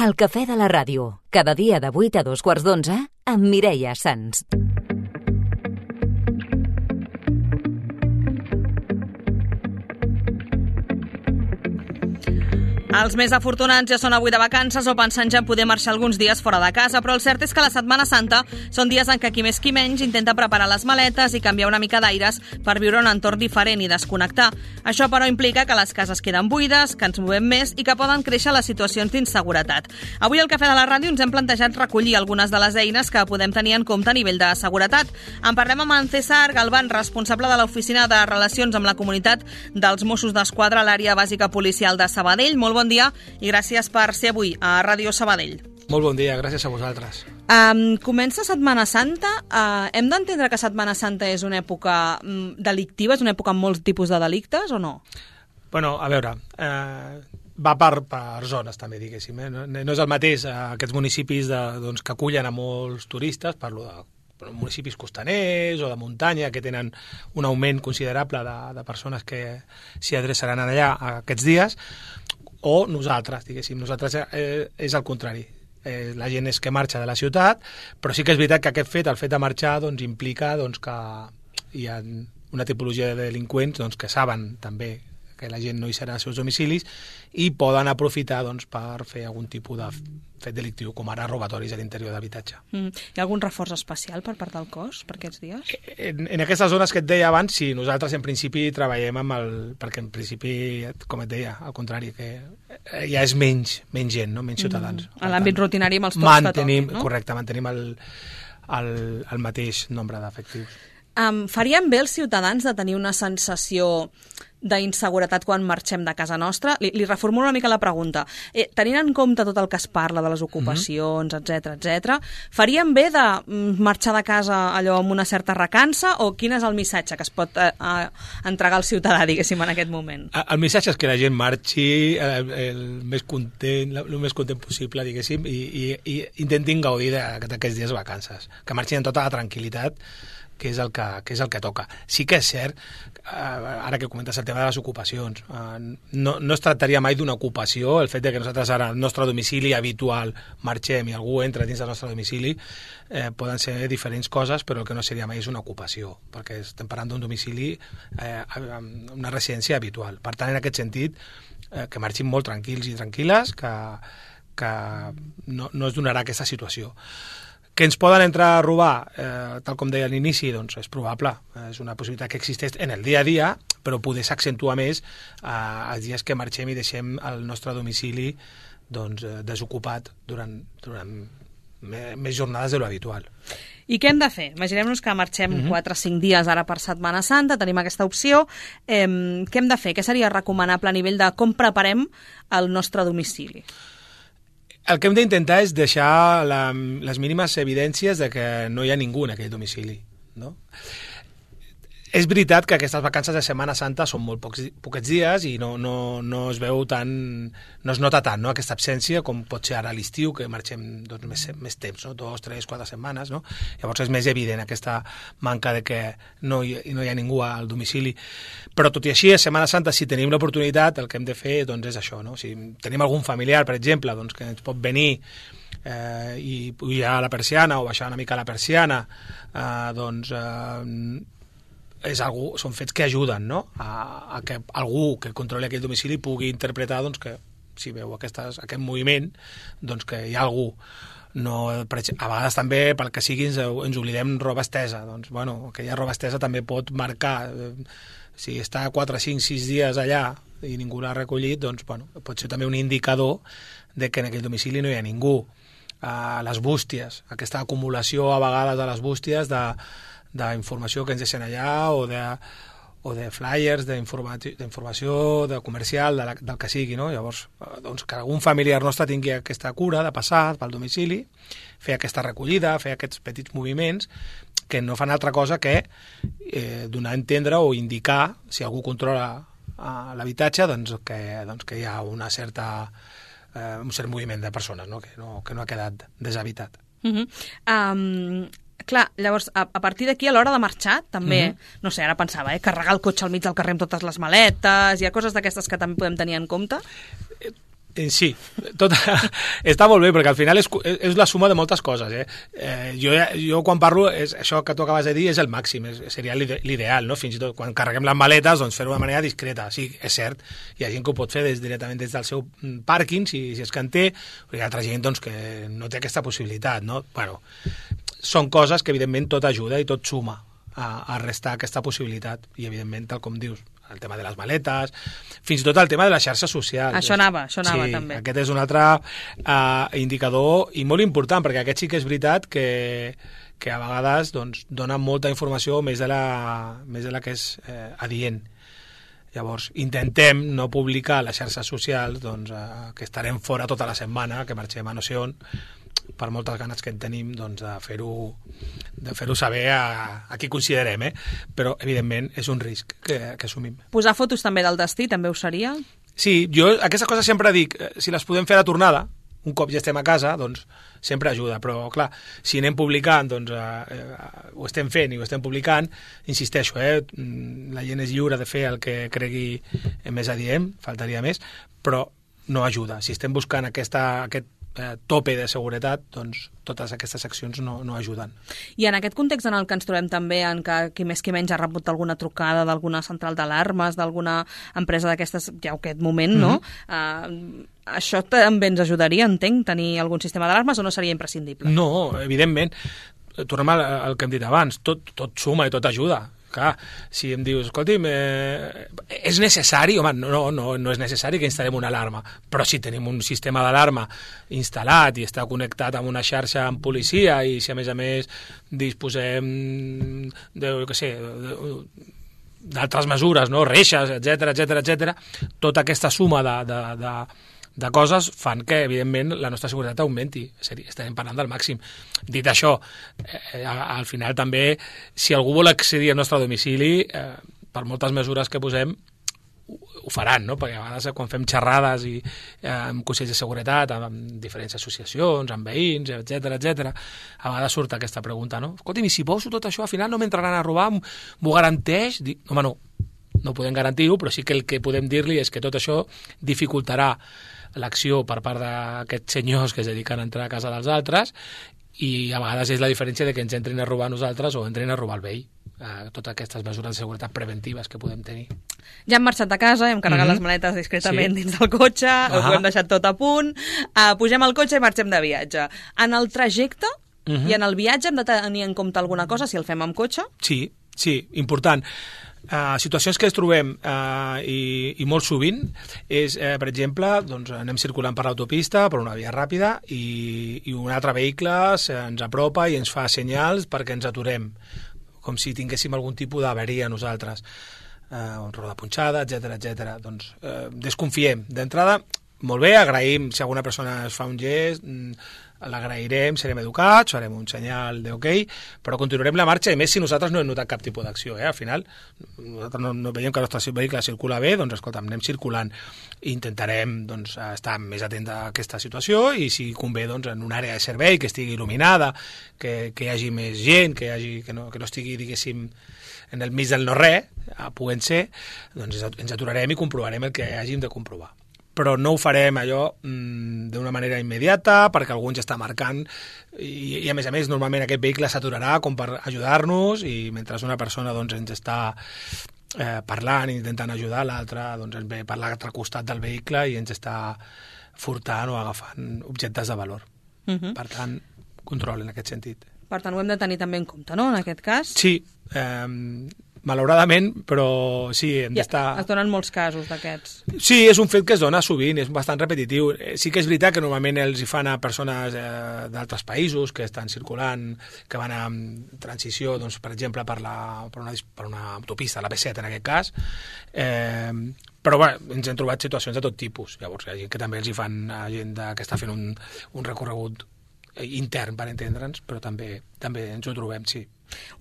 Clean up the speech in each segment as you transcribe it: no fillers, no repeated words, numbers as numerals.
El cafè de la ràdio, cada dia de 8 a 2:15 amb Mireia Sans. Els més afortunats ja són avui de vacances o pensant ja en poder marxar alguns dies fora de casa, però el cert és que la Setmana Santa són dies en què qui més qui menys intenta preparar les maletes i canviar una mica d'aires per viure un entorn diferent i desconnectar. Això, però, implica que les cases queden buides, que ens movem més i que poden créixer les situacions d'inseguretat. Avui al Cafè de la Ràdio ens hem plantejat recollir algunes de les eines que podem tenir en compte a nivell de seguretat. En parlem amb en César Galván, responsable de l'Oficina de Relacions amb la Comunitat dels Mossos d'Esquadra a l'àrea bàsica policial de Sabadell. Molt bon dia i gràcies per ser avui a Ràdio Sabadell. Molt bon dia, gràcies a vosaltres. Comença Setmana Santa. Hem d'entendre que Setmana Santa és una època delictiva, és una època amb molts tipus de delictes o no? Bueno, a veure, va per zones també, diguéssim. No és el mateix aquests municipis que acullen a molts turistes, parlo de municipis costaners o de muntanya que tenen un augment considerable de persones que s'hi adreçaran allà aquests dies, o nosaltres, diguéssim. Nosaltres és el contrari. La gent és que marxa de la ciutat, però sí que és veritat que aquest fet, el fet de marxar, implica que hi ha una tipologia de delinqüents que saben també que la gent no hi serà als seus domicilis i poden aprofitar per fer algun tipus de fet delictiu, com ara robatoris a l'interior d'habitatge. Hi ha algun reforç especial per part del cos per aquests dies? En aquestes zones que et deia abans, sí, nosaltres en principi treballem perquè en principi, com et deia, al contrari, que ja és menys gent, no? Menys ciutadans. A l'àmbit rutinari amb els tocs que toquin, no? Correcte, mantenim el mateix nombre d'efectius. Farien bé els ciutadans de tenir una sensació d'inseguretat quan marxem de casa nostra? Li reformulo una mica la pregunta. Tenint en compte tot el que es parla de les ocupacions, etc., farien bé de marxar de casa allò amb una certa recança o quin és el missatge que es pot entregar al ciutadà, diguéssim, en aquest moment? El missatge és que la gent marxi el més content possible, diguéssim, i intentin gaudir d'aquests dies de vacances, que marxin amb tota la tranquil·litat, que és el que toca. Sí que és cert, ara que comentes el tema de les ocupacions, no es tractaria mai d'una ocupació, el fet de que nosaltres ara al nostre domicili habitual marxem i algú entra dins del nostre domicili, poden ser diferents coses, però el que no seria mai és una ocupació, perquè estem parlant d'un domicili, una residència habitual. Per tant, en aquest sentit, que marxin molt tranquils i tranquil·les, que no es donarà aquesta situació. Que ens poden entrar a robar, tal com deia a l'inici, és probable, és una possibilitat que existeix en el dia a dia, però poder s'accentua més els dies que marxem i deixem el nostre domicili desocupat durant més jornades de lo habitual. I què hem de fer? Imaginem-nos que marxem 4 o 5 dies ara per Setmana Santa, tenim aquesta opció. Què hem de fer? Què seria recomanable a nivell de com preparem el nostre domicili? El que hem d'intentar és deixar les mínimes evidències de que no hi ha ningú en aquell domicili, no? És veritat que aquestes vacances de Setmana Santa són molt poquets dies i no es veu tant, no es nota tant, no? Aquesta absència com pot ser ara a l'estiu, que marxem més temps, no? 2, 3, 4 setmanes, no? Llavors és més evident aquesta manca de que no hi ha ningú al domicili. Però tot i així, a Setmana Santa, si tenim l'oportunitat, el que hem de fer és això, no? Si tenim algun familiar, per exemple, que ens pot venir i pujar a la persiana o baixar una mica la persiana, són fets que ajuden, no? A que algú que controli aquell domicili pugui interpretar que si veu aquest moviment, que hi ha algú. A vegades també, pel que sigui, ens oblidem roba estesa. Aquella roba estesa també pot marcar. Si està 4, 5, 6 dies allà i ningú l'ha recollit, pot ser també un indicador de que en aquell domicili no hi ha ningú. Les bústies, aquesta acumulació a vegades de les bústies d'informació que ens deixen allà o de flyers, d'informació de comercial, del que sigui, no? Llavors, que algun familiar nostre tingui aquesta cura de passar pel domicili, fer aquesta recollida, fer aquests petits moviments que no fan altra cosa que donar a entendre o indicar, si algú controla l'habitatge, que hi ha un cert moviment de persones, no? Que no ha quedat deshabitat. Clar, llavors, a partir d'aquí, a l'hora de marxar, també, no sé, ara pensava, carregar el cotxe al mig del carrer amb totes les maletes, hi ha coses d'aquestes que també podem tenir en compte? Sí, està molt bé, perquè al final és la suma de moltes coses. Jo quan parlo, això que tu acabes de dir és el màxim, seria l'ideal, no? Fins i tot quan carreguem les maletes, doncs fer-ho de manera discreta. Sí, és cert, hi ha gent que ho pot fer directament des del seu pàrquing, si és que en té, però hi ha altra gent doncs, que no té aquesta possibilitat, no? Bueno, són coses que evidentment tot ajuda i tot suma a restar aquesta possibilitat, i evidentment, tal com dius, el tema de les maletes, fins i tot el tema de les xarxes socials. Això anava també. Sí, aquest és un altre indicador i molt important, perquè aquest sí que és veritat que a vegades doncs, dona molta informació més de la que és adient. Llavors, intentem no publicar a les xarxes socials doncs, que estarem fora tota la setmana, que marxem a no sé on, per moltes ganes que en tenim doncs, de fer-ho saber a qui considerem, però evidentment és un risc que assumim. Posar fotos també del destí també ho seria? Sí, jo aquestes coses sempre dic, si les podem fer a la tornada, un cop ja estem a casa, doncs sempre ajuda, però clar, si anem publicant, doncs ho estem fent i ho estem publicant, insisteixo, la gent és lliure de fer el que cregui més adient, faltaria més, però no ajuda. Si estem buscant aquest tope de seguretat, doncs totes aquestes accions no ajuden. I en aquest context en el que ens trobem també, en que qui més qui menys ha rebut alguna trucada d'alguna central d'alarmes, d'alguna empresa d'aquestes, ja en aquest moment, no? Això també ens ajudaria, entenc, tenir algun sistema d'alarmes, o no seria imprescindible? No, evidentment. Tornem al que hem dit abans, tot suma i tot ajuda. Clar, si em dius, escolti'm, és necessari? Home, no és necessari que instal·lem una alarma, però si tenim un sistema d'alarma instal·lat i està connectat amb una xarxa amb policia i si a més disposem d'altres mesures, no? Reixes, etcètera, tota aquesta suma de coses fan que, evidentment, la nostra seguretat augmenti. Estarem parlant del màxim. Dit això, al final també, si algú vol accedir al nostre domicili, per moltes mesures que posem, ho faran, no? Perquè a vegades quan fem xerrades amb consells de seguretat, amb diferents associacions, amb veïns, etcètera, a vegades surt aquesta pregunta, no? Escolta'm, i si poso tot això, al final no m'entraran a robar, m'ho garanteix? Home, no podem garantir-ho, però sí que el que podem dir-li és que tot això dificultarà l'acció per part d'aquests senyors que es dediquen a entrar a casa dels altres, i a vegades és la diferència de que ens entrin a robar a nosaltres o entrin a robar el veí. Totes aquestes mesures de seguretat preventives que podem tenir. Ja hem marxat a casa, hem carregat les maletes discretament dins del cotxe, ho hem deixat tot a punt, pugem al cotxe i marxem de viatge. En el trajecte i en el viatge hem de tenir en compte alguna cosa si el fem amb cotxe? Sí, important. Situacions que ens trobem i molt sovint és, per exemple, doncs, anem circulant per l'autopista, per una via ràpida, i un altre vehicle ens apropa i ens fa senyals perquè ens aturem, com si tinguéssim algun tipus d'avaria a nosaltres, roda punxada, etcètera. Doncs desconfiem. D'entrada, molt bé, agraïm si alguna persona es fa un gest, l'agrairem, serem educats, farem un senyal d'ok, però continuarem la marxa, i més si nosaltres no hem notat cap tipus d'acció. Al final, nosaltres no veiem que el nostre vehicle circula bé, doncs escolta, anem circulant. Intentarem doncs, estar més atents a aquesta situació, i si convé doncs, en una àrea de servei que estigui il·luminada, que hi hagi més gent, que no estigui, diguéssim, en el mig del no-res, podent ser, doncs ens aturarem i comprovarem el que hàgim de comprovar. Però no ho farem allò d'una manera immediata, perquè algú ens està marcant, i a més, normalment aquest vehicle s'aturarà com per ajudar-nos, i mentre una persona doncs, ens està parlant i intentant ajudar, l'altra doncs, ens ve per l'altre costat del vehicle i ens està furtant o agafant objectes de valor. Per tant, control en aquest sentit. Per tant, ho hem de tenir també en compte, no?, en aquest cas? Sí, malauradament, però sí, hem d'estar... Es donen molts casos d'aquests. Sí, és un fet que es dona sovint, és bastant repetitiu. Sí que és veritat que normalment els hi fan a persones d'altres països que estan circulant, que van en transició, doncs, per exemple, per una autopista, la B7 en aquest cas, però bé, ens hem trobat situacions de tot tipus. Llavors, hi ha gent que també els hi fan a gent que està fent un recorregut intern, per entendre'ns, però també ens ho trobem, sí.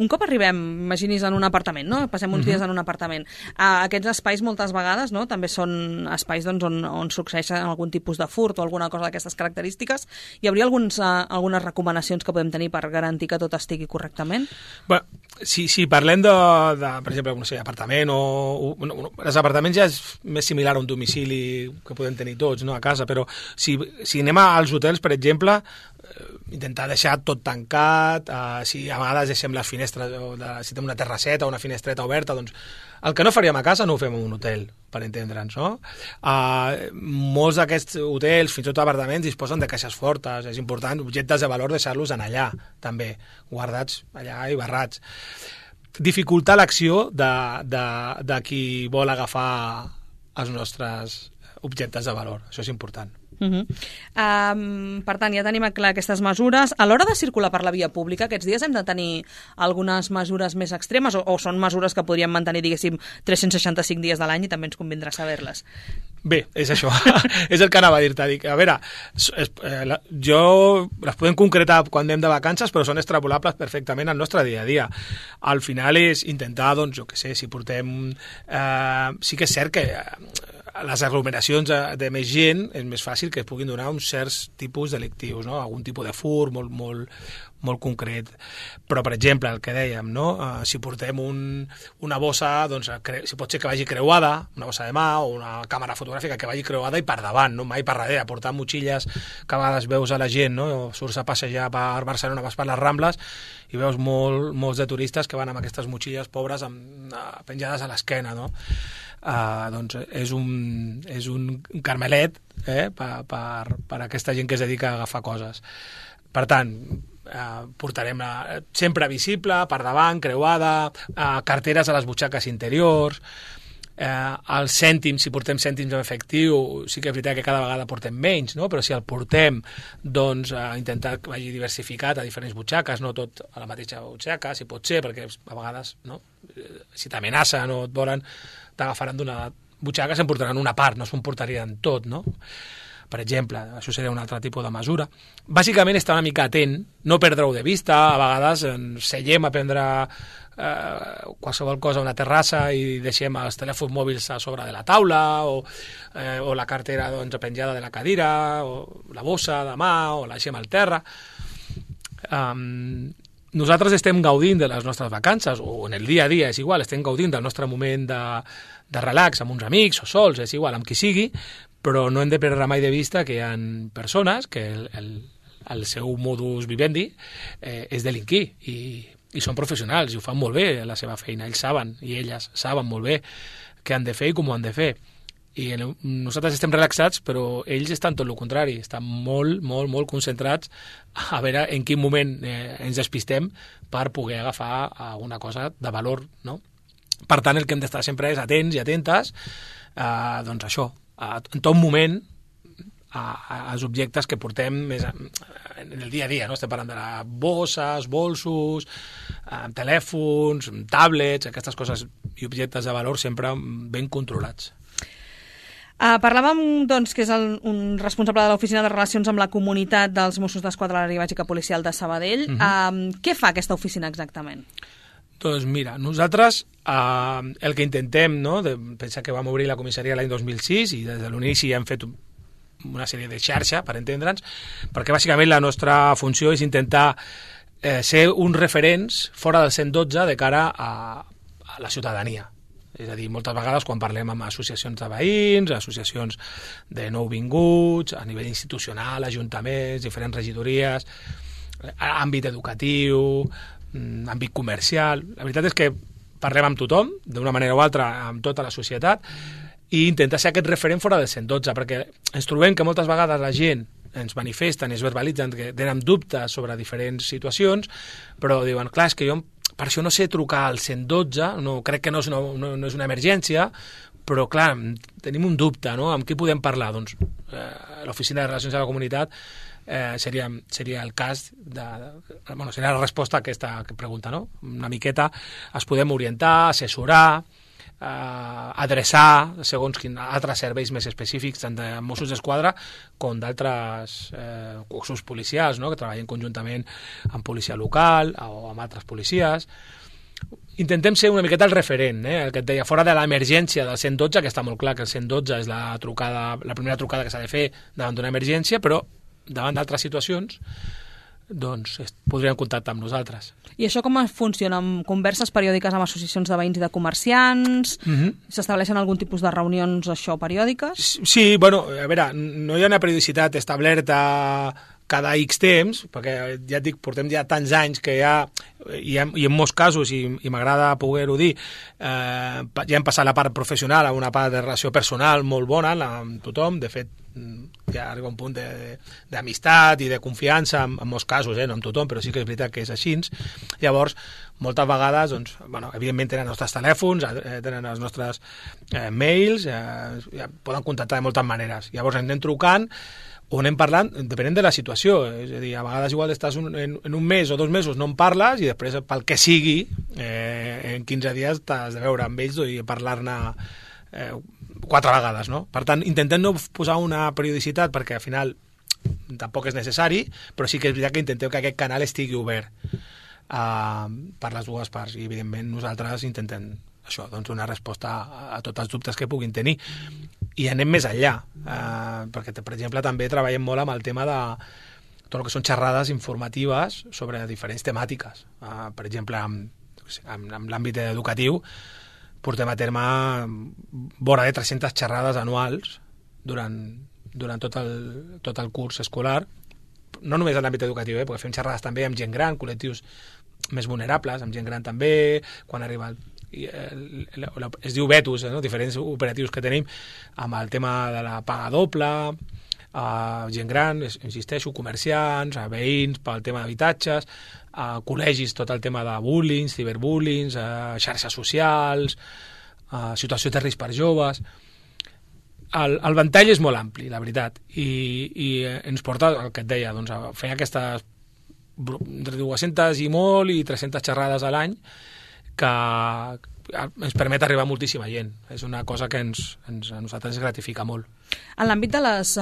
Un cop arribem, imaginis, en un apartament, no? Passem uns dies en un apartament. Aquests espais moltes vegades, no?, també són espais on succeeix algun tipus de furt o alguna cosa d'aquestes característiques. Hi hauria algunes recomanacions que podem tenir per garantir que tot estigui correctament? Bé, si parlem de per exemple, no sé, apartament els apartaments ja és més similar a un domicili que podem tenir tots, no?, a casa, però si anem als hotels, per exemple, intentar deixar tot tancat, si a vegades deixem les finestres, si tenim una terrasseta o una finestreta oberta, doncs el que no faríem a casa no ho fem en un hotel, per entendre'ns, no? Molts d'aquests hotels, fins i tot apartaments, disposen de caixes fortes, és important, objectes de valor deixar-los en allà, també, guardats allà i barrats. Dificultar l'acció de qui vol agafar els nostres objectes de valor, això és important. Per tant, ja tenim clar aquestes mesures. A l'hora de circular per la via pública, aquests dies hem de tenir algunes mesures més extremes o són mesures que podríem mantenir, diguéssim, 365 dies de l'any i també ens convindrà saber-les? Bé, és això, és el que anava a dir-te. A veure, les podem concretar quan anem de vacances, però són extrapolables perfectament al nostre dia a dia. Al final és intentar, doncs, jo què sé, si portem... sí que és cert que les aglomeracions de més gent és més fàcil que es puguin donar uns certs tipus delictius, no? Algun tipus de fur molt concret. Però, per exemple, el que dèiem, no? Si portem una bossa, doncs, si pot ser que vagi creuada, una bossa de mà o una càmera fotogràfica que vagi creuada i per davant, no? Mai per darrere. Portar motxilles que a vegades veus a la gent, no? Surts a passejar per Barcelona, vas per les Rambles i veus molts de turistes que van amb aquestes motxilles pobres penjades a l'esquena, no? Doncs és un carmelet per aquesta gent que es dedica a agafar coses. Per tant, portarem sempre visible, per davant, creuada, carteres a les butxaques interiors, els cèntims, si portem cèntims en efectiu, sí que és veritat que cada vegada portem menys, no? Però si el portem, doncs intentar que vagi diversificat a diferents butxaques, no tot a la mateixa butxaca, si pot ser, perquè a vegades, no? Si t'amenacen o et volen, t'agafaran d'una butxaca, se'n portaran una part, no se'n portarien tot, no? Per exemple, això seria un altre tipus de mesura. Bàsicament, estar una mica atent, no perdre-ho de vista, a vegades ens seiem a prendre qualsevol cosa a una terrassa i deixem els telèfons mòbils a sobre de la taula o la cartera, doncs, penjada de la cadira o la bossa de mà o la deixem al terra. Nosaltres estem gaudint de les nostres vacances, o en el dia a dia, és igual, estem gaudint del nostre moment de relax amb uns amics o sols, és igual, amb qui sigui, però no hem de perdre mai de vista que hi ha persones que el seu modus vivendi és delinquir i són professionals i ho fan molt bé a la seva feina, ells saben i elles saben molt bé què han de fer i com ho han de fer. I nosaltres estem relaxats, però ells estan tot el contrari, estan molt, molt, molt concentrats a veure en quin moment ens despistem per poder agafar alguna cosa de valor, no? Per tant, el que hem d'estar sempre és atents i atentes, doncs això, en tot moment, als objectes que portem més en el dia a dia, no? Estem parlant de bosses, bolsos, telèfons, tablets, aquestes coses i objectes de valor sempre ben controlats. Parlàvem, doncs, que és un responsable de l'Oficina de Relacions amb la Comunitat dels Mossos d'Esquadra de l'Àrea Bàsica Policial de Sabadell. Què fa aquesta oficina exactament? Doncs mira, nosaltres el que intentem, no? Pensa que vam obrir la comissaria l'any 2006 i des de l'inici hem fet una sèrie de xarxa, per entendre'ns, perquè bàsicament la nostra funció és intentar ser uns referents fora del 112 de cara a la ciutadania. És a dir, moltes vegades quan parlem amb associacions de veïns, associacions de nouvinguts, a nivell institucional, ajuntaments, diferents regidories, àmbit educatiu, àmbit comercial... La veritat és que parlem amb tothom, d'una manera o altra, amb tota la societat, i intentar ser aquest referent fora del 112, perquè ens trobem que moltes vegades la gent ens manifesten i es verbalitzen que tenen dubtes sobre diferents situacions, però diuen, clar, és que jo per això no sé trucar al 112, no, crec que no és una emergència, però clar, tenim un dubte, no? Amb qui podem parlar? Doncs l'Oficina de Relacions amb la Comunitat seria el cas seria la resposta a aquesta pregunta, no? Una miqueta es podem orientar, assessorar, adreçar segons altres serveis més específics, tant de Mossos d'Esquadra com d'altres cossos policials, no?, que treballen conjuntament amb policia local o amb altres policies. Intentem ser una miqueta el referent, el que et deia, fora de l'emergència del 112, que està molt clar que el 112 és la primera trucada que s'ha de fer davant d'una emergència, però davant d'altres situacions doncs podrien contactar amb nosaltres. I això com funciona? Amb converses periòdiques amb associacions de veïns i de comerciants? S'estableixen algun tipus de reunions periòdiques? Sí, bueno, a veure, no hi ha una periodicitat establerta cada X temps, perquè ja et dic, portem ja tants anys que i en molts casos, i m'agrada poder-ho dir, ja hem passat la part professional a una part de relació personal molt bona amb tothom. De fet, ja arriba un punt d'amistat i de confiança en molts casos, no amb tothom, però sí que és veritat que és així. Llavors, moltes vegades, doncs, bueno, evidentment tenen els nostres telèfons, tenen els nostres mails, poden contactar de moltes maneres. Llavors anem trucant o anem parlant, depenent de la situació. És a dir, a vegades igual estàs en un mes o 2 mesos, no en parles, i després, pel que sigui, en 15 dies t'has de veure amb ells i parlar-ne 4 vegades, no? Per tant, intentem no posar una periodicitat, perquè al final tampoc és necessari, però sí que és veritat que intentem que aquest canal estigui obert per les dues parts, i evidentment nosaltres intentem això, doncs donar resposta a tots els dubtes que puguin tenir. I anem més enllà, perquè, per exemple, també treballem molt amb el tema de tot el que són xerrades informatives sobre diferents temàtiques. Per exemple, en l'àmbit educatiu, portem a terme vora de 300 xerrades anuals durant tot el curs escolar, no només en l'àmbit educatiu, perquè fem xerrades també amb gent gran, col·lectius més vulnerables, amb gent gran també, quan arriba es diu Vetus, diferents operatius que tenim amb el tema de la paga doble, gent gran, insisteixo, comerciants, veïns pel tema d'habitatges, col·legis, tot el tema de bullying, ciberbullying, xarxes socials, situació de risc per joves. El ventall és molt ampli, la veritat, i ens porta, el que et deia, doncs, a fer aquestes entre 200 i molt i 300 xerrades a l'any, que ens permet arribar a moltíssima gent. És una cosa que a nosaltres ens gratifica molt. En l'àmbit de les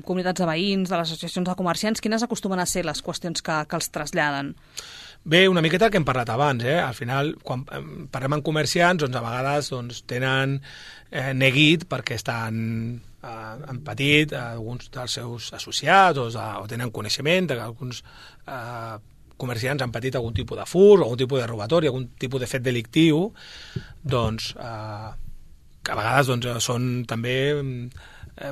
comunitats de veïns, de les associacions de comerciants, quines acostumen a ser les qüestions que els traslladen? Bé, una miqueta el que hem parlat abans. Al final, quan parlem amb comerciants, doncs a vegades tenen neguit perquè han patit alguns dels seus associats o tenen coneixement que alguns comerciants han patit algun tipus de furt, algun tipus de robatori, algun tipus de fet delictiu, doncs que a vegades són també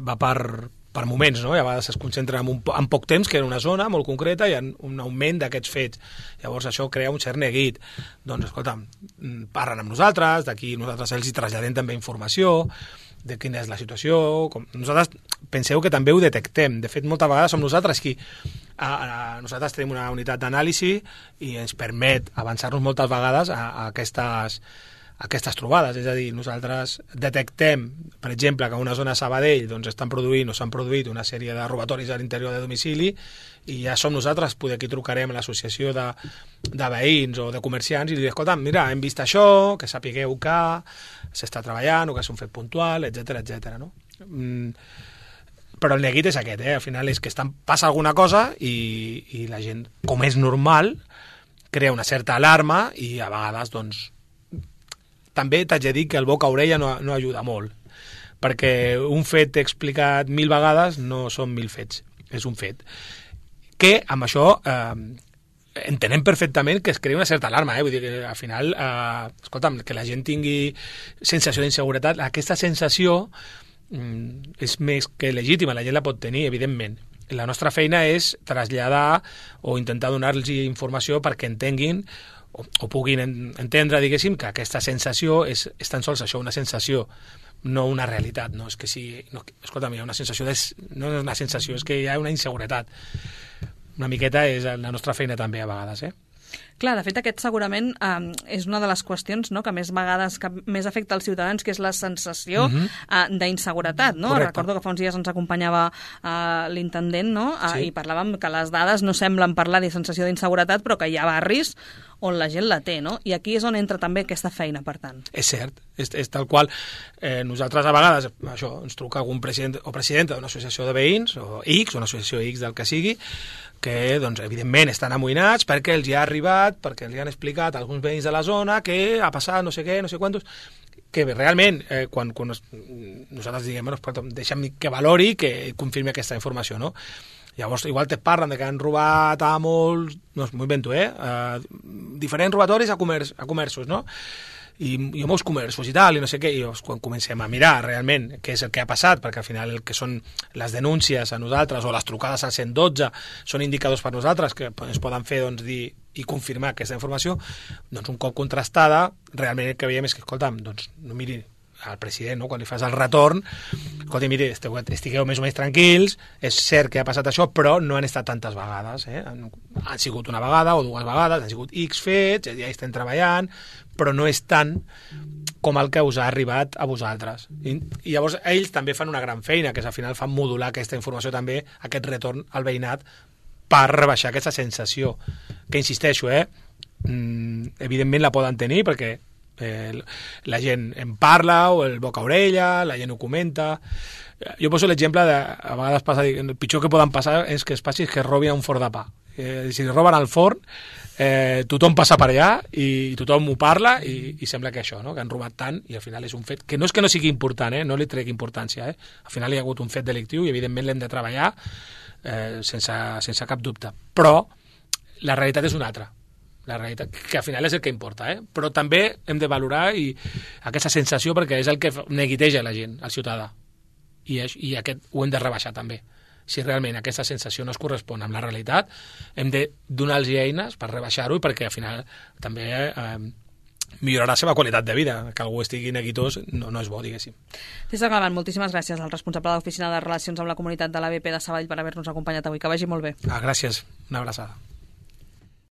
va per moments, no? I a vegades es concentren en poc temps, que en una zona molt concreta hi ha un augment d'aquests fets. Llavors això crea un cert neguit. Doncs escolta'm, parlen amb nosaltres, d'aquí nosaltres els hi traslladem també informació de quina és la situació. Nosaltres penseu que també ho detectem. De fet, moltes vegades som nosaltres qui nosaltres tenim una unitat d'anàlisi i ens permet avançar-nos moltes vegades a aquestes trobades. És a dir, nosaltres detectem, per exemple, que a una zona de Sabadell s'han produït una sèrie de robatoris a l'interior de domicili, i ja som nosaltres qui trucarem a l'associació de veïns o de comerciants i li dic, escolta, mira, hem vist això, que sapigueu que s'està treballant o que és un fet puntual, etc. No? Però el neguit és aquest, al final és que passa alguna cosa i la gent, com és normal, crea una certa alarma i a vegades, també t'haig de dir que el boca-orella no ajuda molt, perquè un fet explicat 1000 vegades no són 1000 fets, és un fet. Que amb això entenem perfectament que es crea una certa alarma, vull dir que al final, escolta'm, que la gent tingui sensació d'inseguretat, aquesta sensació és més que legítima, la gent la pot tenir, evidentment. La nostra feina és traslladar o intentar donar-los informació perquè entenguin o puguin entendre, diguéssim, que aquesta sensació és tan sols això, una sensació, no una realitat. No és que sigui... No, escolta'm, hi ha una sensació no és una sensació, és que hi ha una inseguretat. Una miqueta és la nostra feina també a vegades, Clar, de fet, aquest segurament és una de les qüestions, no?, que més vegades que més afecta als ciutadans, que és la sensació d'inseguretat, no? Correcte. Recordo que fa uns dies ens acompanyava l'intendent, no?, i parlàvem que les dades no semblen parlar de sensació d'inseguretat, però que hi ha barris on la gent la té, no? I aquí és on entra també aquesta feina, per tant. És cert, és tal qual. Nosaltres a vegades, això, ens truca algun president o presidenta d'una associació de veïns, o X, una associació X del que sigui, que, doncs, evidentment estan amoïnats perquè els hi ha arribat, perquè els hi han explicat a alguns veïns de la zona que ha passat no sé què, no sé quantos, que realment, quan nosaltres diguem, bueno, deixa'm que valori, que confirmi aquesta informació, no? Llavors, igual te parlen de que han robat a molts, no, m'ho invento, diferents robatoris a comerços, no? I a molts comerços i tal, i no sé què, i quan comencem a mirar realment què és el que ha passat, perquè al final el que són les denúncies a nosaltres o les trucades al 112 són indicadors per nosaltres que es poden fer, doncs, dir i confirmar aquesta informació, doncs un cop contrastada, realment el que veiem és que, escolta'm, doncs no miri al president, no? Quan li fas el retorn, escolta, miri, estigueu més o menys tranquils, és cert que ha passat això, però no han estat tantes vegades, han sigut una vegada o dues vegades, han sigut X fets, ja estem treballant, però no és tant com el que us ha arribat a vosaltres. I llavors ells també fan una gran feina, que és al final fan modular aquesta informació també, aquest retorn al veïnat, per rebaixar aquesta sensació, que insisteixo, evidentment la poden tenir, perquè la gent en parla, o el boca a orella, la gent ho comenta. Jo poso l'exemple de, a vegades passa, el pitjor que poden passar és que es passi que robin un forn de pa. Si roben el forn, tothom passa per allà i tothom ho parla i sembla que això, no? Que han robat tant, i al final és un fet que no és que no sigui important, no li trec importància, al final hi ha hagut un fet delictiu i evidentment l'hem de treballar sense cap dubte, però la realitat és una altra, la realitat, que al final és el que importa, però també hem de valorar aquesta sensació, perquè és el que neguiteja la gent, el ciutadà, i aquest ho hem de rebaixar també. Si realment aquesta sensació no es correspon amb la realitat, hem de donar-los eines per rebaixar-ho i perquè al final també millorar la seva qualitat de vida. Que algú estigui neguitós no és bo, diguéssim. César Galván, moltíssimes gràcies al responsable de l'Oficina de Relacions amb la Comunitat de l'ABP de Sabadell per haver-nos acompanyat avui. Que vagi molt bé. Gràcies, una abraçada.